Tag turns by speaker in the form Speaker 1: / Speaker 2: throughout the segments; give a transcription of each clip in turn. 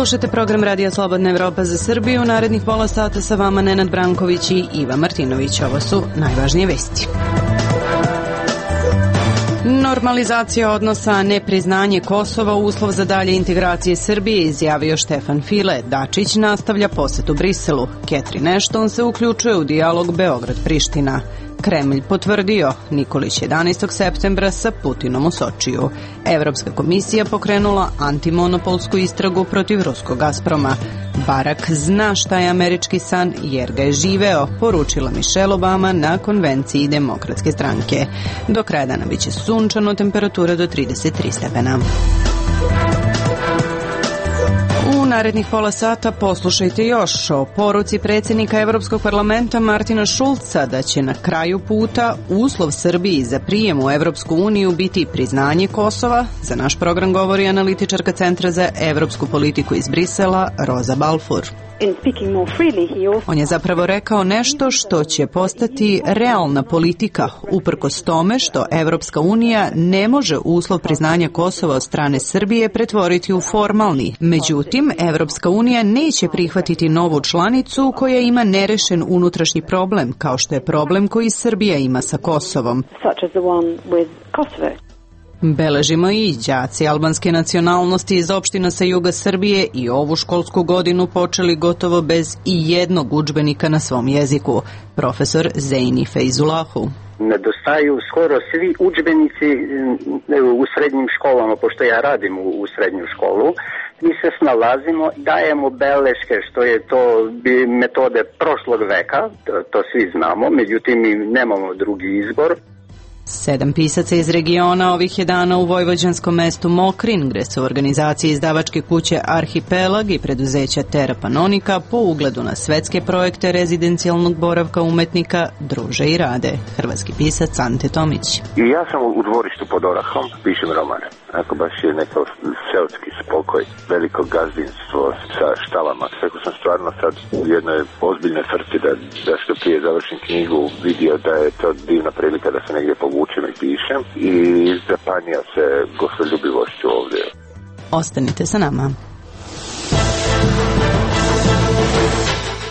Speaker 1: Slušajte program Radija Slobodna Evropa za Srbiju. Narednih pola sata sa vama Nenad Branković i Iva Martinović. Ovo su najvažnije vesti. Normalizacija odnosa, nepriznanje Kosova, uslov za dalje integracije Srbije, izjavio Štefan File. Dačić nastavlja posetu Briselu. Catherine Ashton se uključuje u dijalog Beograd-Priština. Kremlj potvrdio, Nikolić 11. septembra sa Putinom u Sočiju. Evropska komisija pokrenula antimonopolsku istragu protiv ruskog Gazproma. Barak zna šta je američki san jer ga je živeo, poručila Michelle Obama na konvenciji Demokratske stranke. Do kraja dana biće sunčano, temperatura do 33 stepena. U narednih pola sata poslušajte još o poruci predsjednika Evropskog parlamenta Martina Šulca da će na kraju puta uslov Srbiji za prijem u Evropsku uniju biti priznanje Kosova. Za naš program govori analitičarka Centra za evropsku politiku iz Brisela, Roza Balfour. On je zapravo rekao nešto što će postati realna politika, uprkos tome što Evropska unija ne može uslov priznanja Kosova od strane Srbije pretvoriti u formalni. Međutim, Evropska unija neće prihvatiti novu članicu koja ima nerešen unutrašnji problem, kao što je problem koji Srbija ima sa Kosovom. Beležimo i đaci albanske nacionalnosti iz opština sa juga Srbije i ovu školsku godinu počeli gotovo bez i jednog udžbenika na svom jeziku. Profesor Zejni Fejzulahu.
Speaker 2: Nedostaju skoro svi udžbenici u srednjim školama, pošto ja radim u srednju školu. Mi se snalazimo, dajemo beleške, što je to metode prošlog veka, to svi znamo, međutim mi nemamo drugi izbor.
Speaker 1: 7 pisaca iz regiona ovih je dana u vojvođanskom mestu Mokrin, gde su organizacije izdavačke kuće Arhipelag i preduzeća Terra Panonika po ugledu na svetske projekte rezidencijalnog boravka umetnika druže i rade. Hrvatski pisac Ante Tomić.
Speaker 3: I ja sam u dvorištu pod Orahom, pišem romane. Ako baš je neko seoski spokoj, veliko gazdinstvo sa štalama. Tako sam stvarno sad u jednoj ozbiljnoj frci da što prije završim knjigu vidio da je to divna prilika da se negdje povučem i pišem i zapanio se gostoljubivošću ovdje.
Speaker 1: Ostanite sa nama.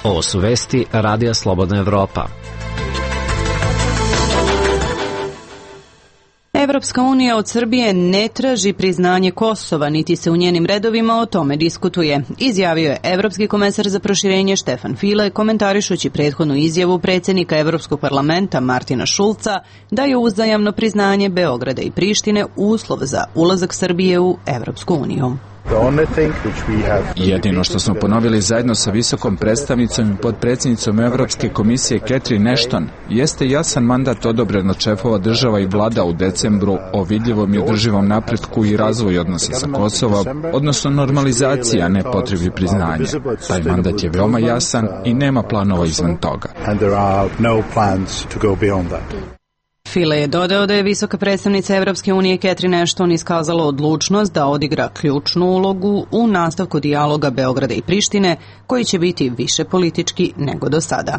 Speaker 4: Ovo su vesti Radija Slobodna Evropa.
Speaker 1: Evropska unija od Srbije ne traži priznanje Kosova, niti se u njenim redovima o tome diskutuje, izjavio je Evropski komesar za proširenje Štefan File, komentarišući prethodnu izjavu predsjednika Evropskog parlamenta Martina Šulca da je uzajamno priznanje Beograda i Prištine uslov za ulazak Srbije u Evropsku uniju.
Speaker 5: Jedino što smo ponovili zajedno sa visokom predstavnicom i podpredsjednicom Evropske komisije Catherine Ashton jeste jasan mandat odobren od šefova država i vlada u decembru o vidljivom i održivom napretku i razvoju odnosa sa Kosovom, odnosno normalizacija, a ne potrebi priznanja. Taj mandat je veoma jasan i nema planova izvan toga.
Speaker 1: File je dodao da je visoka predstavnica Evropske unije Catherine Ashton iskazala odlučnost da odigra ključnu ulogu u nastavku dijaloga Beograda i Prištine, koji će biti više politički nego do sada.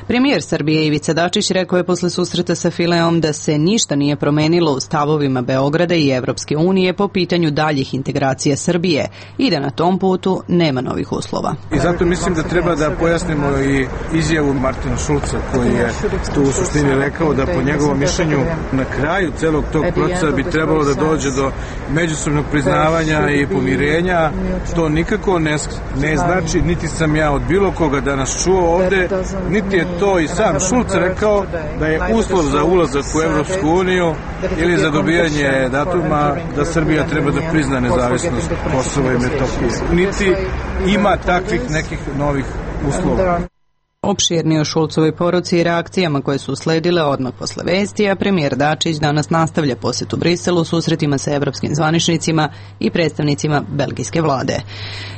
Speaker 1: Premijer Srbije Ivica Dačić rekao je posle susreta sa Fileom da se ništa nije promenilo u stavovima Beograda i Evropske unije po pitanju daljih integracija Srbije i da na tom putu nema novih uslova.
Speaker 6: I zato mislim da treba da pojasnimo i izjavu Martina Šulca koji je tu u suštini rekao da po njegovom mišljenju na kraju celog tog procesa bi trebalo da dođe do međusobnog priznavanja i pomirenja. To nikako ne znači, niti sam ja od bilo koga danas čuo ovde, niti je to i sam Šulc rekao da je uslov za ulazak u Evropsku uniju ili za dobijanje datuma da Srbija treba da prizna nezavisnost Kosova i Metohije. Niti ima takvih nekih novih uslova.
Speaker 1: Opširnije o Šulcovoj poruci i reakcijama koje su usledile odmah posle vesti, a premijer Dačić danas nastavlja posjet u Briselu susretima sa evropskim zvaničnicima i predstavnicima belgijske vlade.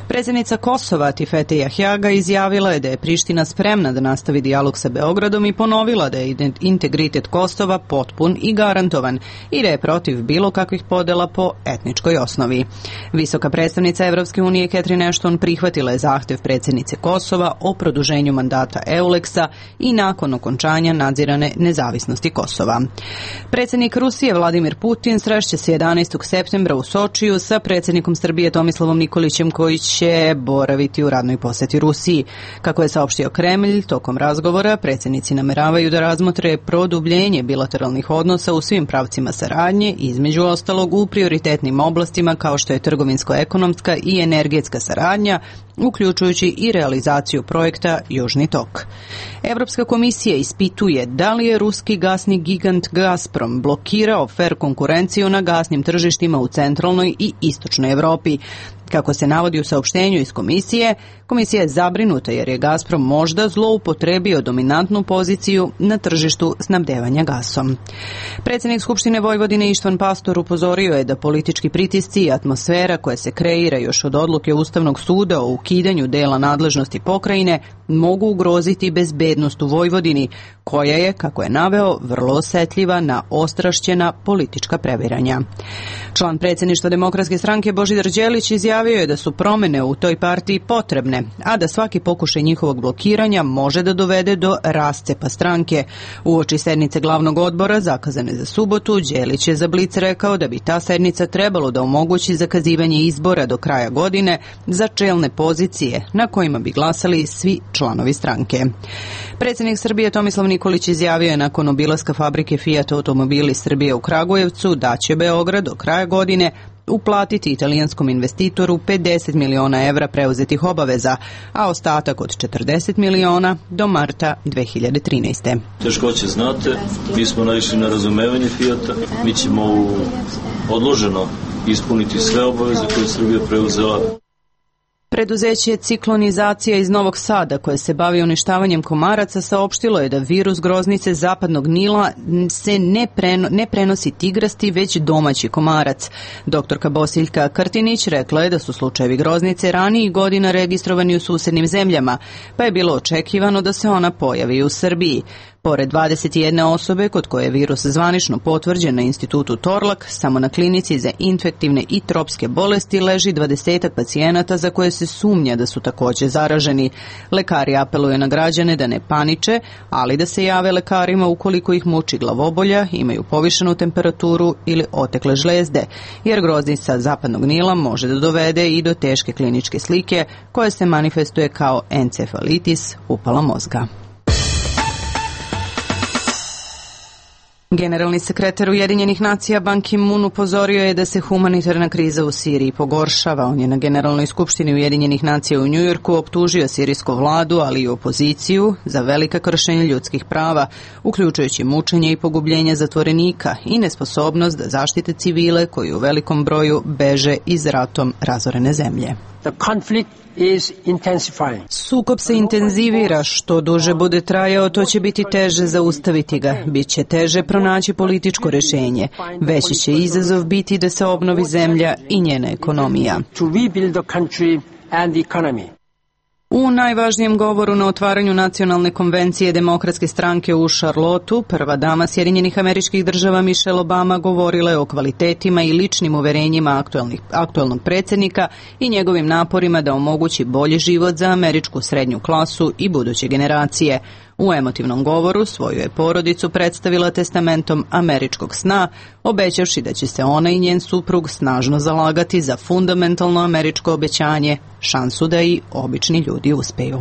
Speaker 1: Predsjednica Kosova Tifete Jahjaga izjavila je da je Priština spremna da nastavi dijalog sa Beogradom i ponovila da je integritet Kosova potpun i garantovan i da je protiv bilo kakvih podela po etničkoj osnovi. Visoka predstavnica Evropske unije Catherine Ashton prihvatila je zahtev predsjednice Kosova o produženju mandata flota Euleksa i nakon okončanja nadzirane nezavisnosti Kosova. Predsjednik Rusije Vladimir Putin srešće se 11. septembra u Sočiju sa predsjednikom Srbije Tomislavom Nikolićem koji će boraviti u radnoj posjeti Rusiji. Kako je saopštio Kremlj, tokom razgovora predsjednici nameravaju da razmotre produbljenje bilateralnih odnosa u svim pravcima saradnje, između ostalog u prioritetnim oblastima kao što je trgovinsko-ekonomska i energetska saradnja, uključujući i realizaciju projekta Južni tok. Evropska komisija ispituje da li je ruski gasni gigant Gazprom blokirao fer konkurenciju na gasnim tržištima u centralnoj i istočnoj Evropi. Kako se navodi u saopštenju iz komisija je zabrinuta jer je Gazprom možda zloupotrebio dominantnu poziciju na tržištu snabdevanja gasom. Predsjednik Skupštine Vojvodine Ištvan Pastor upozorio je da politički pritisci i atmosfera koja se kreira još od odluke Ustavnog suda o ukidanju dela nadležnosti pokrajine mogu ugroziti bezbednost u Vojvodini, koja je, kako je naveo, vrlo osetljiva na ostrašćena politička previranja. Član predsjedništva Demokratske stranke Božidar Đelić izjavio je da su promjene u toj partiji potrebne, a da svaki pokušaj njihovog blokiranja može da dovede do rascepa stranke. Uoči sednice glavnog odbora zakazane za subotu, Đelić je za Blic rekao da bi ta sednica trebalo da omogući zakazivanje izbora do kraja godine za čelne pozicije na kojima bi glasali svi članovi stranke. Predsjednik Srbije Tomislav Nikolić izjavio je nakon obilaska fabrike Fiat Automobili Srbije u Kragujevcu da će Beograd do kraja godine uplatiti italijanskom investitoru 50 miliona evra preuzetih obaveza, a ostatak od 40 miliona do marta 2013.
Speaker 7: Teškoće znate, mi smo naišli na razumevanje Fiata, mi ćemo odloženo ispuniti sve obaveze koje je Srbija preuzela.
Speaker 1: Preduzeće Ciklonizacija iz Novog Sada, koje se bavi uništavanjem komaraca, saopštilo je da virus groznice zapadnog Nila se ne prenosi tigrasti, već domaći komarac. Doktorka Bosiljka Krtinić rekla je da su slučajevi groznice ranijih godina registrovani u susednim zemljama, pa je bilo očekivano da se ona pojavi u Srbiji. Pored 21 osobe kod koje je virus zvanično potvrđen na institutu Torlak, samo na klinici za infektivne i tropske bolesti leži 20 pacijenata za koje se sumnja da su također zaraženi. Lekari apeluju na građane da ne paniče, ali da se jave lekarima ukoliko ih muči glavobolja, imaju povišenu temperaturu ili otekle žlezde, jer groznica zapadnog Nila može da dovede i do teške kliničke slike koja se manifestuje kao encefalitis, upala mozga. Generalni sekretar Ujedinjenih nacija Ban Ki-moon upozorio je da se humanitarna kriza u Siriji pogoršava. On je na Generalnoj skupštini Ujedinjenih nacija u Njujorku optužio sirijsku vladu, ali i opoziciju za velika kršenja ljudskih prava, uključujući mučenje i pogubljenje zatvorenika i nesposobnost da zaštite civile koji u velikom broju beže iz ratom razorene zemlje. Sukob se intenzivira, što duže bude trajao, to će biti teže zaustaviti ga, bit će teže pronaći političko rješenje, veći će izazov biti da se obnovi zemlja i njena ekonomija. U najvažnijem govoru na otvaranju nacionalne konvencije Demokratske stranke u Charlotteu, prva dama Sjedinjenih Američkih Država Michelle Obama govorila je o kvalitetima i ličnim uverenjima aktualnog predsjednika i njegovim naporima da omogući bolji život za američku srednju klasu i buduće generacije. U emotivnom govoru svoju je porodicu predstavila testamentom američkog sna, obećavši da će se ona i njen suprug snažno zalagati za fundamentalno američko obećanje, šansu da i obični ljudi uspeju.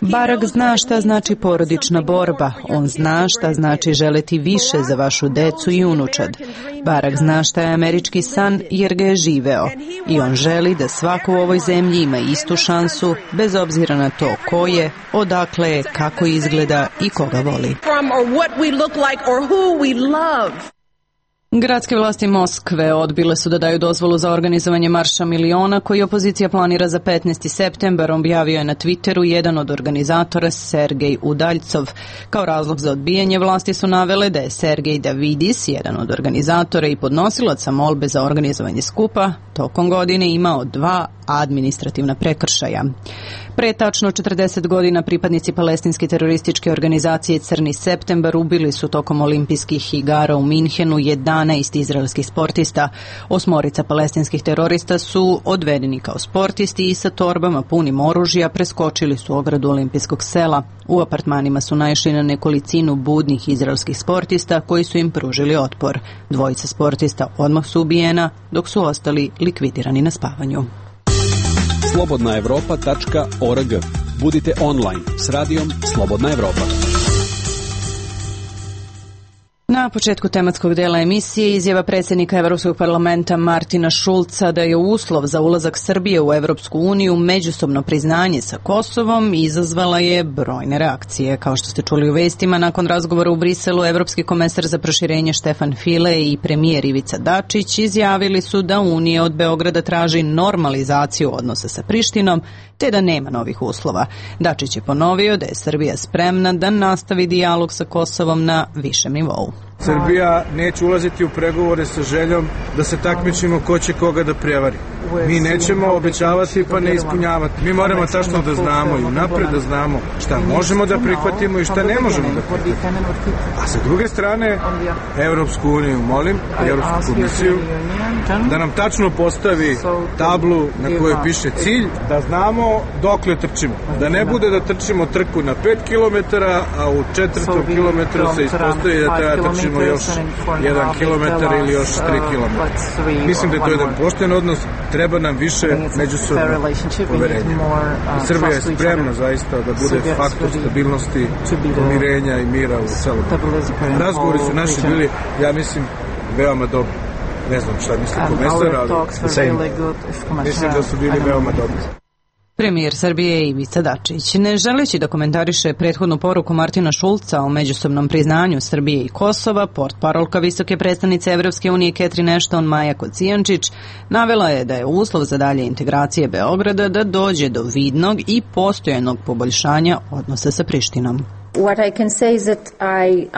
Speaker 1: Barack zna šta znači porodična borba. On zna šta znači želeti više za vašu decu i unučad. Barack zna šta je američki san jer ga je živeo. I on želi da svako u ovoj zemlji ima istu šansu, bez obzira na to ko je, odakle je, kako izgleda i koga voli. Gradske vlasti Moskve odbile su da daju dozvolu za organizovanje Marša miliona koji opozicija planira za 15. septembar, objavio je na Twitteru jedan od organizatora, Sergej Udaljcov. Kao razlog za odbijanje vlasti su navele da je Sergej Davidis, jedan od organizatora i podnosilaca molbe za organizovanje skupa, tokom godine imao 2 administrativna prekršaja. Pre tačno 40 godina pripadnici palestinske terorističke organizacije Crni septembar ubili su tokom olimpijskih igara u Minhenu 11 12 izraelskih sportista. 8 palestinskih terorista su odvedeni kao sportisti i sa torbama punim oružja preskočili su ogradu olimpijskog sela. U apartmanima su naišli na nekolicinu budnih izraelskih sportista koji su im pružili otpor. 2 sportista odmah su ubijena, dok su ostali likvidirani na spavanju.
Speaker 8: Slobodnaevropa.org. Budite online s radijom Slobodna Evropa.
Speaker 1: Na početku tematskog dela emisije izjava predsjednika Evropskog parlamenta Martina Šulca da je uslov za ulazak Srbije u Evropsku uniju međusobno priznanje sa Kosovom izazvala je brojne reakcije. Kao što ste čuli u vestima, nakon razgovora u Briselu, Evropski komesar za proširenje Štefan File i premijer Ivica Dačić izjavili su da Unija od Beograda traži normalizaciju odnosa sa Prištinom, te da nema novih uslova. Dačić je ponovio da je Srbija spremna da nastavi dijalog sa Kosovom na višem nivou.
Speaker 6: Srbija neće ulaziti u pregovore sa željom da se takmičimo ko će koga da prevari. Mi nećemo obećavati pa ne ispunjavati. Mi moramo tačno da znamo i unapred da znamo šta možemo da prihvatimo i šta ne možemo da prihvatimo. A sa druge strane, Evropsku uniju molim, Evropsku komisiju, da nam tačno postavi tablu na kojoj piše cilj, da znamo dokle trčimo. Da ne bude da trčimo trku na 5 km, a u 4. kilometru se ispostavi da treba trčimo još 1 kilometar ili još 3 kilometra. Mislim da je to jedan pošten odnos, treba nam više međusobno poverenja. Srbija je spremna zaista da bude faktor stabilnosti, pomirenja i mira u celom. Razgovori su naši bili, ja mislim, veoma dobri. Ne znam šta misli komesar, ali mislim da su bili veoma dobri.
Speaker 1: Premijer Srbije Ivica Dačić, ne želeći da komentariše prethodnu poruku Martina Šulca o međusobnom priznanju Srbije i Kosova, portparolka visoke predstavnice Evropske unije Catherine Ashton Maja Kocijančić navela je da je uslov za dalje integracije Beograda da dođe do vidnog i postojanog poboljšanja odnosa sa Prištinom.
Speaker 9: What I can say is that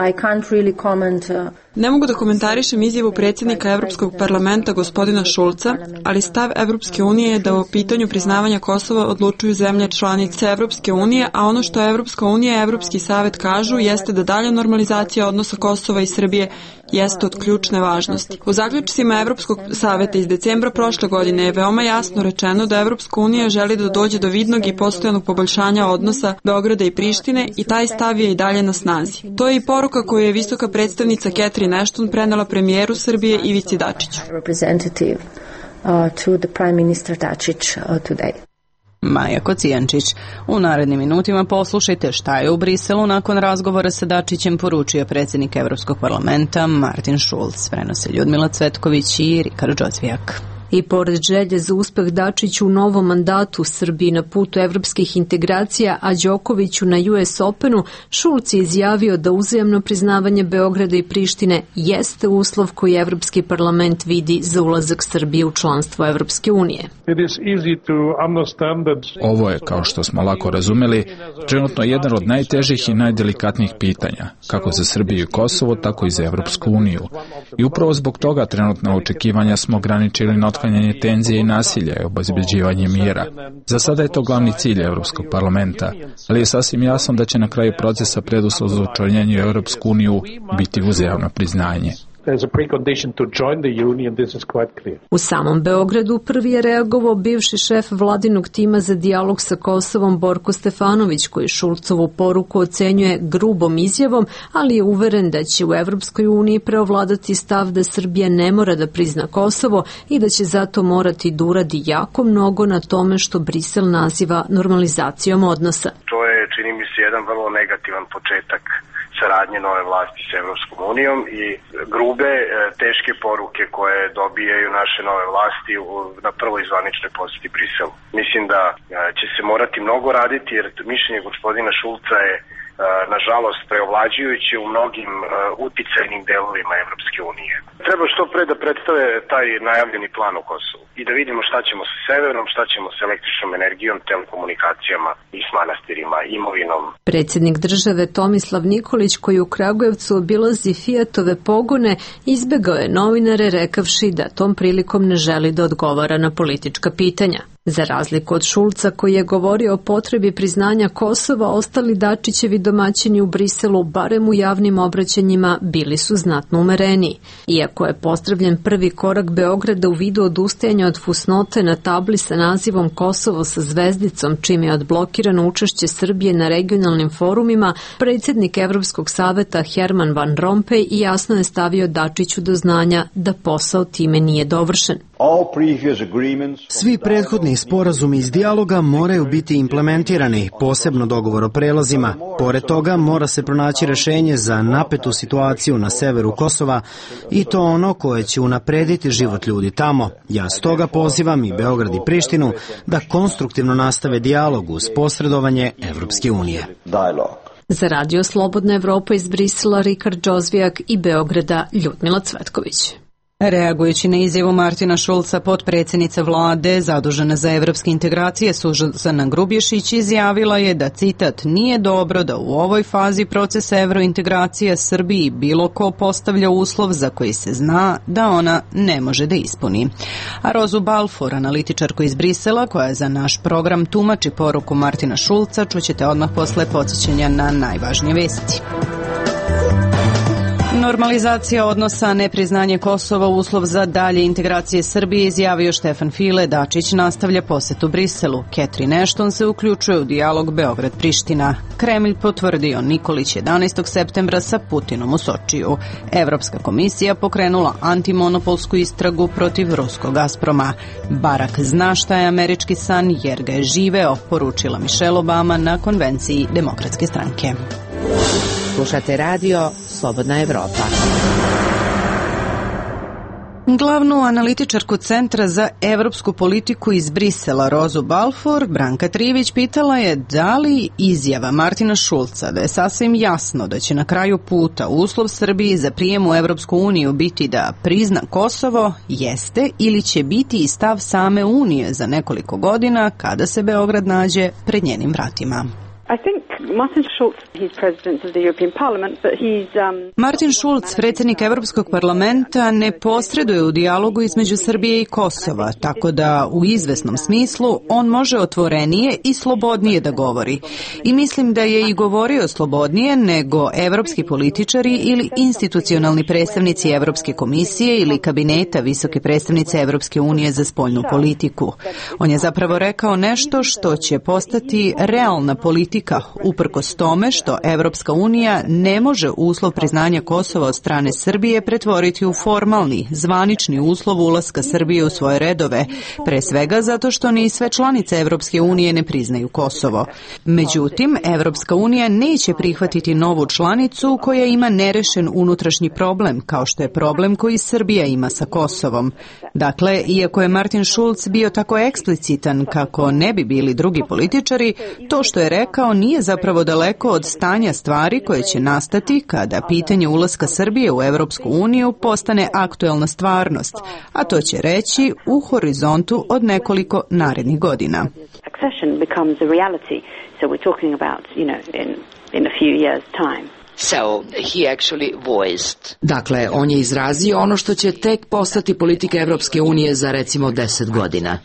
Speaker 9: I can't really comment.
Speaker 10: Ne mogu da komentarišem izjavu predsjednika Evropskog parlamenta gospodina Šulca, ali stav Evropske unije je da o pitanju priznavanja Kosova odlučuju zemlje članice Evropske unije, a ono što Evropska unija i Evropski savet kažu jeste da dalja normalizacija odnosa Kosova i Srbije jeste od ključne važnosti. U zaključcima Evropskog saveta iz decembra prošle godine je veoma jasno rečeno da Evropska unija želi da dođe do vidnog i postojanog poboljšanja odnosa Beograda i Prištine i taj stav je i dalje na snazi. To je i poruka koju je visoka predstavnica Catherine Ashton prenela premijeru Srbije Ivici Dačiću.
Speaker 1: Maja Kocijančić. U narednim minutima poslušajte šta je u Briselu nakon razgovora sa Dačićem poručio predsjednik Evropskog parlamenta Martin Šulc. Prenose Ljudmila Cvetković i Rikard Đozvijak.
Speaker 11: I pored želje za uspeh Dačiću u novom mandatu Srbiji na putu evropskih integracija, a Đokoviću na US Openu, Šulc je izjavio da uzajamno priznavanje Beograda i Prištine jeste uslov koji Evropski parlament vidi za ulazak Srbije u članstvo Evropske unije.
Speaker 5: Ovo je, kao što smo lako razumeli, trenutno jedan od najtežih i najdelikatnijih pitanja, kako za Srbiju i Kosovo, tako i za Evropsku uniju. I upravo zbog toga trenutna očekivanja smo ograničili na otklanjanje tenzije i nasilja i obezbeđivanje mira. Za sada je to glavni cilj Evropskog parlamenta, ali je sasvim jasno da će na kraju procesa preduslov za učlanjenje u Evropsku uniju biti uzajamno priznanje.
Speaker 11: U samom Beogradu prvi je reagovao bivši šef vladinog tima za dijalog sa Kosovom Borko Stefanović, koji Šulcovu poruku ocenjuje grubom izjavom, ali je uveren da će u Evropskoj uniji preovladati stav da Srbija ne mora da prizna Kosovo i da će zato morati da uradi jako mnogo na tome što Brisel naziva normalizacijom odnosa.
Speaker 12: To je, čini mi se, jedan vrlo negativan početak saradnje nove vlasti s Evropskom unijom i grube, teške poruke koje dobijaju naše nove vlasti na prvoj zvaničnoj posjeti Briselu. Mislim da će se morati mnogo raditi jer mišljenje gospodina Šulca je nažalost preovlađujući u mnogim uticajnim delovima Evropske unije. Treba što pre da predstave taj najavljeni plan u Kosovu i da vidimo šta ćemo sa severom, šta ćemo sa električnom energijom, telekomunikacijama i s manastirima, imovinom.
Speaker 11: Predsjednik države Tomislav Nikolić, koji u Kragujevcu obilazi Fiatove pogone, izbegao je novinare rekavši da tom prilikom ne želi da odgovara na politička pitanja. Za razliku od Šulca koji je govorio o potrebi priznanja Kosova, ostali Dačićevi domaćini u Briselu, barem u javnim obraćanjima, bili su znatno umereniji. Iako je pozdravljen prvi korak Beograda u vidu odustajanja od fusnote na tabli sa nazivom Kosovo sa zvezdicom, čime je odblokirano učešće Srbije na regionalnim forumima, predsjednik Evropskog saveta Herman Van Rompuy jasno je stavio Dačiću do znanja da posao time nije dovršen.
Speaker 13: Svi prethodni sporazumi iz dijaloga moraju biti implementirani, posebno dogovor o prelazima. Pored toga mora se pronaći rešenje za napetu situaciju na severu Kosova i to ono koje će unaprediti život ljudi tamo. Ja stoga pozivam i Beograd i Prištinu da konstruktivno nastave dijalog uz posredovanje Evropske unije.
Speaker 11: Za Radio Slobodna Evropa iz Brisela, Rikard Džozvijak i Beograda, Ljudmila Cvetković.
Speaker 1: Reagujući na izjavu Martina Šulca, potpredsjednica vlade zadužena za evropske integracije Suzana Grubješić izjavila je da, citat, nije dobro da u ovoj fazi procesa evrointegracije Srbiji bilo ko postavlja uslov za koji se zna da ona ne može da ispuni. A Rozu Balfour, analitičarku iz Brisela, koja za naš program tumači poruku Martina Šulca, čućete odmah posle podsjećanja na najvažnije vesti. Normalizacija odnosa, nepriznanje Kosova, uslov za dalje integracije Srbije, izjavio Štefan File. Dačić nastavlja posetu Briselu. Catherine Ashton se uključuje u dijalog Beograd-Priština. Kremlj potvrdio Nikolić 11. septembra sa Putinom u Sočiju. Evropska komisija pokrenula antimonopolsku istragu protiv ruskog Gazproma. Barak zna šta je američki san jer ga je živeo, poručila Michelle Obama na konvenciji Demokratske stranke.
Speaker 14: Slušate radio Slobodna Evropa.
Speaker 1: Glavnu analitičarku Centra za evropsku politiku iz Brisela, Rozu Balfour, Branka Trijević pitala je da li izjava Martina Šulca da je sasvim jasno da će na kraju puta uslov Srbiji za prijem u Evropsku uniju biti da prizna Kosovo jeste ili će biti i stav same Unije za nekoliko godina kada se Beograd nađe pred njenim vratima. Martin Schulz, predsjednik Evropskog parlamenta, ne posreduje u dijalogu između Srbije i Kosova, tako da u izvesnom smislu on može otvorenije i slobodnije da govori. I mislim da je i govorio slobodnije nego evropski političari ili institucionalni predstavnici Evropske komisije ili kabineta visoke predstavnice Evropske unije za spoljnu politiku. On je zapravo rekao nešto što će postati realna politika, uprkos tome što Evropska unija ne može uslov priznanja Kosova od strane Srbije pretvoriti u formalni, zvanični uslov ulaska Srbije u svoje redove, pre svega zato što ni sve članice Evropske unije ne priznaju Kosovo. Međutim, Evropska unija neće prihvatiti novu članicu koja ima nerešen unutrašnji problem, kao što je problem koji Srbija ima sa Kosovom. Dakle, iako je Martin Schulz bio tako eksplicitan kako ne bi bili drugi političari, to što je rekao nije zapravo daleko od stanja stvari koje će nastati kada pitanje ulaska Srbije u Evropsku uniju postane aktuelna stvarnost, a to će reći u horizontu od nekoliko narednih godina.
Speaker 14: Dakle, on je izrazio ono što će tek postati politika Evropske unije za recimo 10 godina.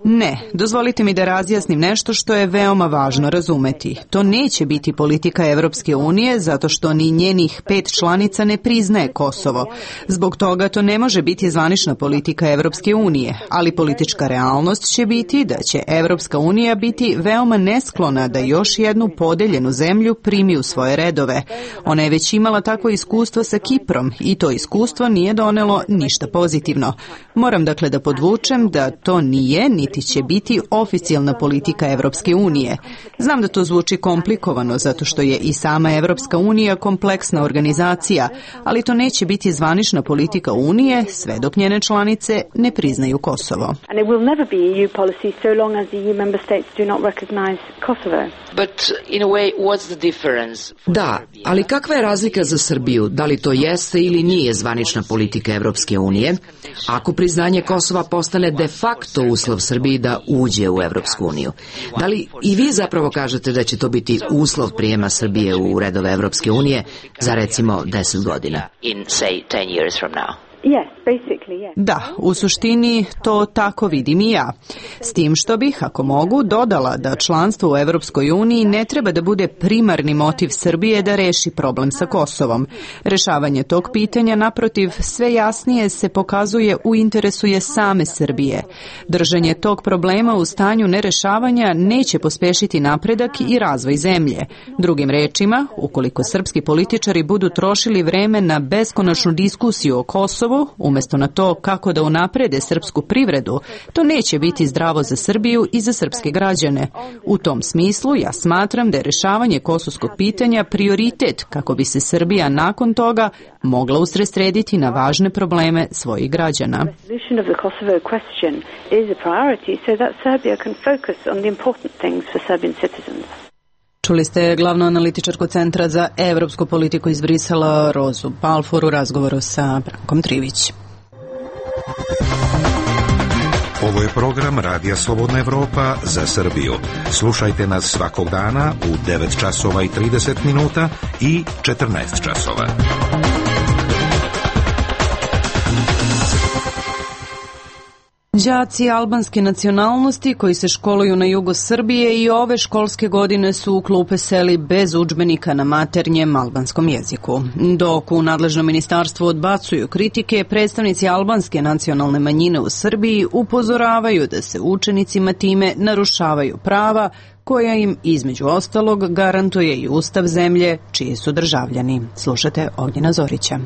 Speaker 1: Ne, dozvolite mi da razjasnim nešto što je veoma važno razumeti. To neće biti politika Evropske unije zato što ni njenih 5 članica ne priznaje Kosovo. Zbog toga to ne može biti zvanična politika Evropske unije, ali politička realnost će biti da će Evropska unija biti veoma nesklona da još jednu podeljenu zemlju primi u svoje redove. Ona je već imala takvo iskustvo sa Kiprom i to iskustvo nije donelo ništa pozitivno. Moram dakle da podvučem da to nije niti će biti oficijalna politika Evropske unije. Znam da to zvuči komplikovano zato što je i sama Evropska unija kompleksna organizacija, ali to neće biti zvanična politika Unije sve dok njene članice ne priznaju Kosovo.
Speaker 14: Da, ali kakva je razlika za Srbiju? Da li to jeste ili nije zvanična politika Evropske unije? Ako priznanje Kosova postane de facto uslov Srbiji da uđe u Evropsku uniju. Da li i vi zapravo kažete da će to biti uslov prijema Srbije u redove Evropske unije za recimo 10 godina?
Speaker 1: Da, u suštini to tako vidim i ja. S tim što bih, ako mogu, dodala da članstvo u Evropskoj uniji ne treba da bude primarni motiv Srbije da reši problem sa Kosovom. Rešavanje tog pitanja, naprotiv, sve jasnije se pokazuje u interesu je same Srbije. Držanje tog problema u stanju nerešavanja neće pospešiti napredak i razvoj zemlje. Drugim rečima, ukoliko srpski političari budu trošili vreme na beskonačnu diskusiju o Kosovu, umjesto na to kako da unaprede srpsku privredu, to neće biti zdravo za Srbiju i za srpske građane. U tom smislu ja smatram da je rešavanje kosovskog pitanja prioritet kako bi se Srbija nakon toga mogla usredsrediti na važne probleme svojih građana. Čuli ste glavnu analitičarku Centra za evropsku politiku iz Brisela, Rozu Balfour, u razgovoru sa Brankom Trivić.
Speaker 15: Ovo je program Radija Slobodna Evropa za Srbiju. Slušajte nas svakog dana u 9 časova i 30 minuta i 14 časova.
Speaker 1: Đaci albanske nacionalnosti koji se školuju na jugu Srbije i ove školske godine su u klupe seli bez udžbenika na maternjem albanskom jeziku. Dok u nadležnom ministarstvu odbacuju kritike, predstavnici albanske nacionalne manjine u Srbiji upozoravaju da se učenicima time narušavaju prava koja im, između ostalog, garantuje i Ustav zemlje čiji su državljani. Slušate Ognjena Zorića.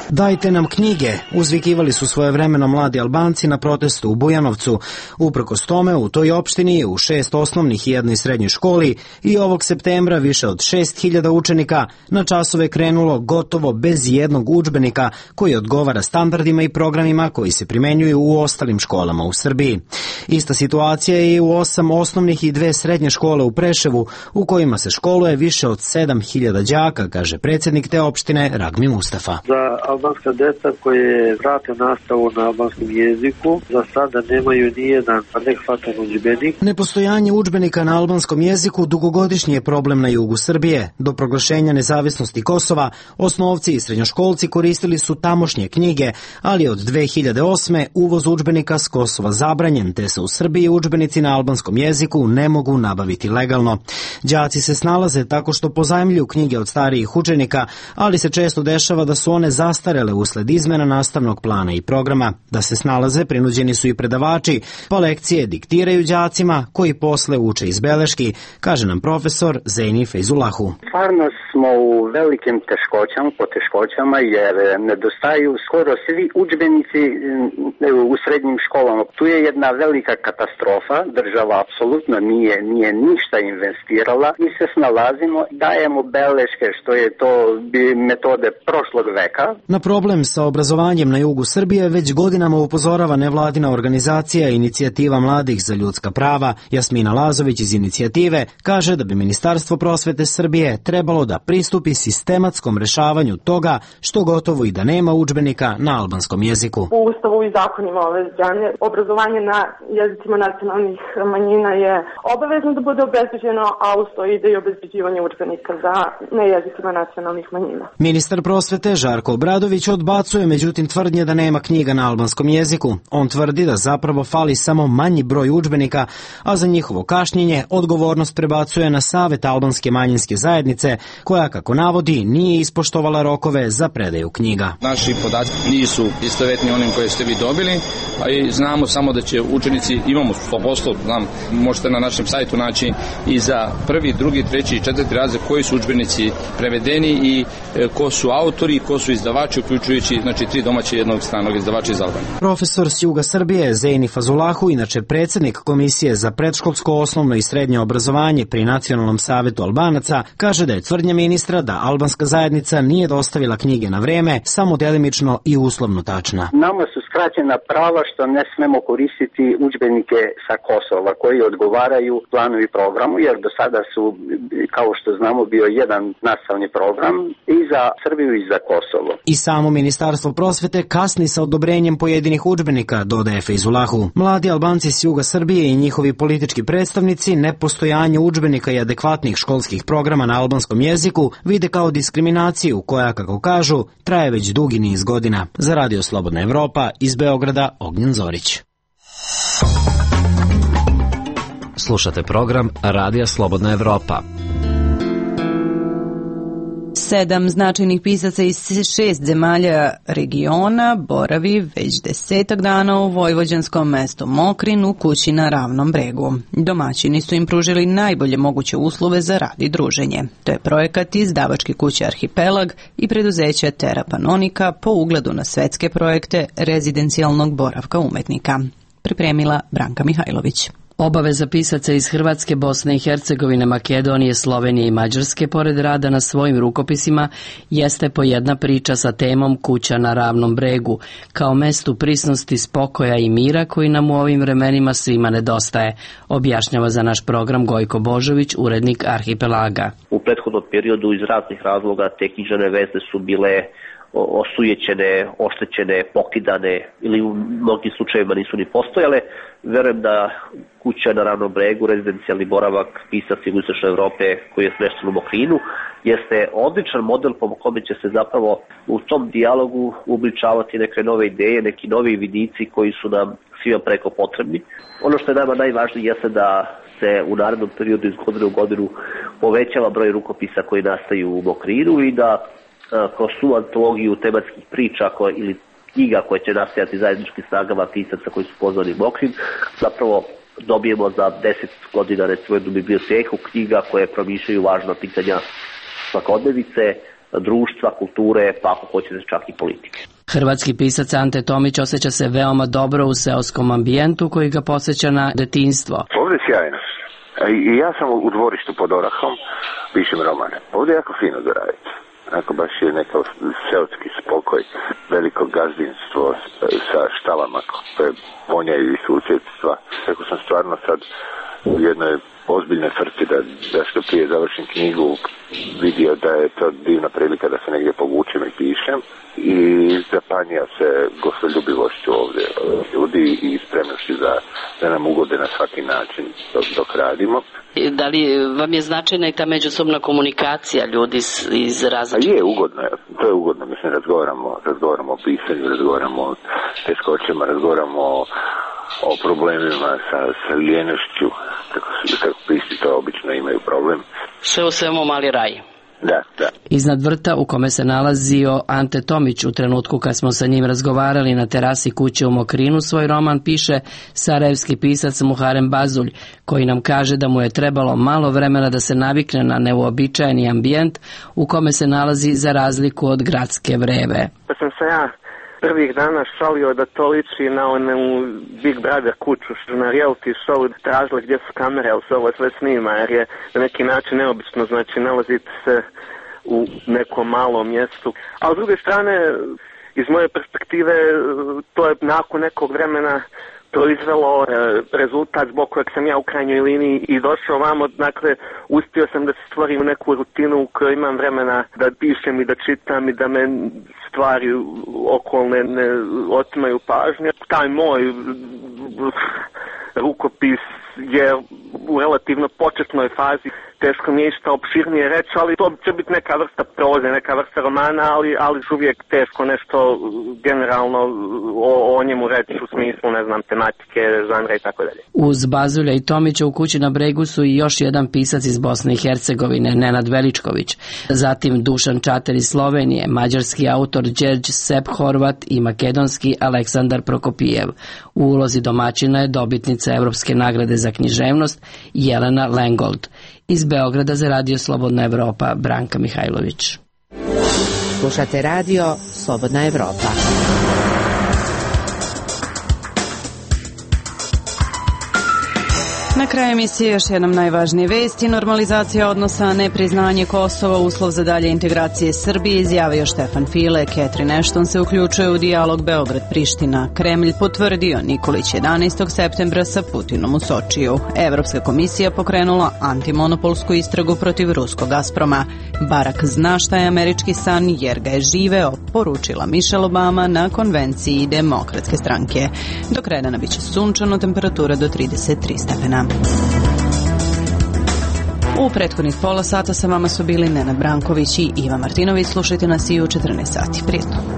Speaker 13: Dajte nam knjige, uzvikivali su svojevremeno mladi Albanci na protestu u Bujanovcu. Uprkos tome, u toj opštini, u 6 osnovnih i jednoj srednjoj školi, i ovog septembra više od 6.000 učenika na časove krenulo gotovo bez jednog udžbenika koji odgovara standardima i programima koji se primenjuju u ostalim školama u Srbiji. Ista situacija je i u 8 osnovnih i 2 srednje škole u Preševu, u kojima se školuje više od 7.000 đaka, kaže predsjednik te opštine Ragmi Mustafa.
Speaker 16: Albanska deca koje prate nastavu na albanskom jeziku za sada nemaju nijedan adekvatan udžbenik.
Speaker 13: Nepostojanje udžbenika na albanskom jeziku dugogodišnji je problem na jugu Srbije. Do proglašenja nezavisnosti Kosova osnovci i srednjoškolci koristili su tamošnje knjige, ali od 2008. uvoz udžbenika s Kosova zabranjen, te se u Srbiji udžbenici na albanskom jeziku ne mogu nabaviti legalno. Đaci se snalaze tako što pozajmljuju knjige od starijih učenika, ali se često dešava da su one zastarele usled izmena nastavnog plana i programa. Da se snalaze prinuđeni su i predavači, pa lekcije diktiraju đacima koji posle uče iz beleški, kaže nam profesor Zeni Fejzulahu.
Speaker 2: Stvarno smo u velikim poteškoćama jer nedostaju skoro svi udžbenici u srednjim školama. Tu je jedna velika katastrofa, država apsolutno nije ništa investirala, mi se snalazimo, dajemo beleške, što je to metode prošlog veka.
Speaker 13: Na problem sa obrazovanjem na jugu Srbije već godinama upozorava nevladina organizacija Inicijativa mladih za ljudska prava. Jasmina Lazović iz inicijative kaže da bi Ministarstvo prosvete Srbije trebalo da pristupi sistematskom rešavanju toga što gotovo i da nema udžbenika na albanskom jeziku.
Speaker 17: U Ustavu i zakonima ove zemlje obrazovanje na jezicima nacionalnih manjina je obavezno da bude obezbeđeno, a uz to ide i obezbeđivanje udžbenika na jezicima nacionalnih manjina.
Speaker 13: Ministar prosvete Žarko Obradović odbacuje međutim tvrdnje da nema knjiga na albanskom jeziku. On tvrdi da zapravo fali samo manji broj udžbenika, a za njihovo kašnjenje odgovornost prebacuje na Savet albanske manjinske zajednice, koja, kako navodi, nije ispoštovala rokove za predaju knjiga.
Speaker 18: Naši podaci nisu istovetni onim koje ste vi dobili, a i znamo samo da će učenici, imamo 100%, znam, možete na našem sajtu naći i za prvi, drugi, treći i četvrti razred koji su udžbenici prevedeni i ko su autori, ko su izdavači, uključujući 3 domaće i jednog stranog izdavača iz Albanije.
Speaker 13: Profesor s juga Srbije Zeni Fazulahu, inače predsjednik Komisije za predškolsko, osnovno i srednje obrazovanje pri Nacionalnom savetu Albanaca, kaže da je tvrdnja ministra da albanska zajednica nije dostavila knjige na vreme samo delimično i uslovno tačna.
Speaker 2: Nama su uskraćena prava što ne smemo koristiti udžbenike sa Kosova koji odgovaraju planu i programu, jer do sada su, kao što znamo, bio jedan nastavni program i za Srbiju i za Kosovo.
Speaker 13: I samo Ministarstvo prosvete kasni sa odobrenjem pojedinih udžbenika, dodaje Fejzulahu. Mladi Albanci s juga Srbije i njihovi politički predstavnici nepostojanje udžbenika i adekvatnih školskih programa na albanskom jeziku vide kao diskriminaciju koja, kako kažu, traje već dugi niz godina. Za Radio Slobodna Evropa, iz Beograda, Ognjen Zorić.
Speaker 4: Slušate program Radija Slobodna Evropa.
Speaker 1: 7 značajnih pisaca iz 6 zemalja regiona boravi već 10 dana u vojvođanskom mestu Mokrin u kući na Ravnom bregu. Domaćini su im pružili najbolje moguće uslove za rad i druženje. To je projekat izdavačke kuće Arhipelag i preduzeća Terra Panonika po ugledu na svetske projekte rezidencijalnog boravka umetnika. Pripremila Branka Mihajlović.
Speaker 19: Obaveza pisaca iz Hrvatske, Bosne i Hercegovine, Makedonije, Slovenije i Mađarske, pored rada na svojim rukopisima, jeste po jedna priča sa temom Kuća na Ravnom bregu, kao mestu prisnosti, spokoja i mira koji nam u ovim vremenima svima nedostaje, objašnjava za naš program Gojko Božović, urednik Arhipelaga.
Speaker 20: U prethodnom periodu iz raznih razloga te književne veze su bile osujećene, oštećene, pokidane ili u mnogim slučajevima nisu ni postojale. Verujem da Kuća na Ravnom bregu, rezidencijalni boravak pisaca Jugoistočne Evrope koji je smešten u Mokrinu, jeste odličan model po kome će se zapravo u tom dijalogu uobličavati neke nove ideje, neki novi vidici koji su nam svima preko potrebni. Ono što je nama najvažnije jeste da se u narednom periodu iz godine u godinu povećava broj rukopisa koji nastaju u Mokrinu i da kroz tu antologiju tematskih priča ili knjiga koje će nastajati zajedničkim snagama pisaca koji su pozvani u Mokrin, zapravo dobijemo za 10 godina recimo jednu biblioteku knjiga koje promišljaju važna pitanja svakodnevice, društva, kulture, pa ako hoćete čak i politike.
Speaker 19: Hrvatski pisac Ante Tomić osjeća se veoma dobro u seoskom ambijentu koji ga podsjeća na detinjstvo.
Speaker 3: Ovdje je sjajno. I ja sam u dvorištu pod Orahom, pišem romane. Ovdje je jako fino za raditi. Ako baš je neko seoski spokoj, veliko gazdinstvo sa štalama koje vonjaju i susjedstva. Tako sam stvarno sad u jednoj ozbiljnoj frci da što prije završim knjigu vidio da je to divna prilika da se negdje povučem i pišem i zapanjio se gostoljubivošću ovdje ljudi i spremnošću da nam ugode na svaki način dok radimo.
Speaker 21: Da li vam je značajna i ta međusobna komunikacija ljudi iz različitih?
Speaker 3: Je ugodno, to je ugodno, mislim razgovaramo o pisanju, razgovaramo o teškoćama, razgovaramo o problemima sa lijenošću, kako pisci to obično imaju problem.
Speaker 21: Sve u svemu mali raj.
Speaker 3: Da.
Speaker 19: Iznad vrta u kome se nalazio Ante Tomić u trenutku kad smo sa njim razgovarali na terasi kuće u Mokrinu, svoj roman piše sarajevski pisac Muharem Bazulj, koji nam kaže da mu je trebalo malo vremena da se navikne na neuobičajeni ambijent u kome se nalazi za razliku od gradske vreve.
Speaker 22: Pa sam se ja prvih dana šalio da to liči na onu Big Brother kuću, što na reality show tražili gdje su kamere, ali se ovo sve snima, jer je na neki način neobično, znači nalazite se u nekom malom mjestu. A s druge strane, iz moje perspektive, to je nakon nekog vremena proizvelo rezultat zbog kojeg sam ja u krajnjoj liniji i došao vamo, dakle uspio sam da se stvorim neku rutinu u kojoj imam vremena da pišem i da čitam i da me stvari okolne ne otimaju pažnje. Taj moj rukopis je u relativno početnoj fazi, teško mi je išta opširnije reći, ali to će biti neka vrsta proze, neka vrsta romana, ali uvijek teško nešto generalno o njemu reći u smislu, ne znam, tematike, žanra i tako dalje.
Speaker 19: Uz Bazulja i Tomića u kući na bregu su i još jedan pisac iz Bosne i Hercegovine, Nenad Veličković, zatim Dušan Čater iz Slovenije, mađarski autor Đerđ Sepp Horvat i makedonski Aleksandar Prokopijev. U ulozi domaćina je dobitnica Evropske nagrade za književnost Jelena Lengold. Iz Beograda za Radio Slobodna Evropa, Branka Mihajlović.
Speaker 23: Slušate Radio Slobodna Evropa.
Speaker 1: Na kraju emisije još jednom najvažnije vesti. Normalizacija odnosa, nepriznanje Kosova, uslov za dalje integracije Srbije, izjavio Štefan File. Catherine Ashton se uključuje u dijalog Beograd-Priština. Kremlj potvrdio Nikolić 11. septembra sa Putinom u Sočiju. Evropska komisija pokrenula antimonopolsku istragu protiv ruskog Gazproma. Barak zna šta je američki san jer ga je živeo, poručila Michelle Obama na konvenciji Demokratske stranke. Do kraja dana biće sunčano, temperatura do 33 stepena. U prethodnih pola sata sa vama su bili Nenad Branković i Iva Martinović. Slušajte nas i u 14 sati. Prijetno.